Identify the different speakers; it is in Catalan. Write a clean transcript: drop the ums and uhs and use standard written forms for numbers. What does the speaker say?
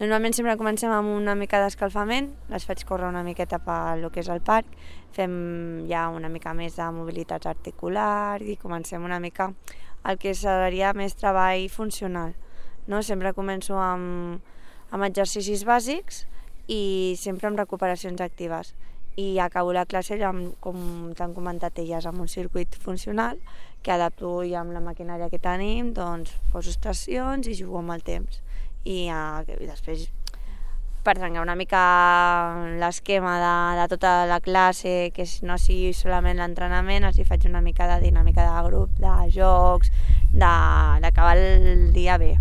Speaker 1: Normalment sempre comencem amb una mica d'escalfament, les faig córrer una miqueta pel que és el parc, fem ja una mica més de mobilitat articular i comencem una mica el que seria més treball funcional. No? Sempre començo amb exercicis bàsics i sempre amb recuperacions actives. I acabo la classe, com t'han comentat elles, amb un circuit funcional que adapto ja amb la maquinària que tenim, doncs poso estacions i jugo amb el temps. I després, per trencar una mica l'esquema de tota la classe, que no sigui solament l'entrenament, els hi faig una mica de dinàmica de grup, de jocs, d'acabar el dia bé.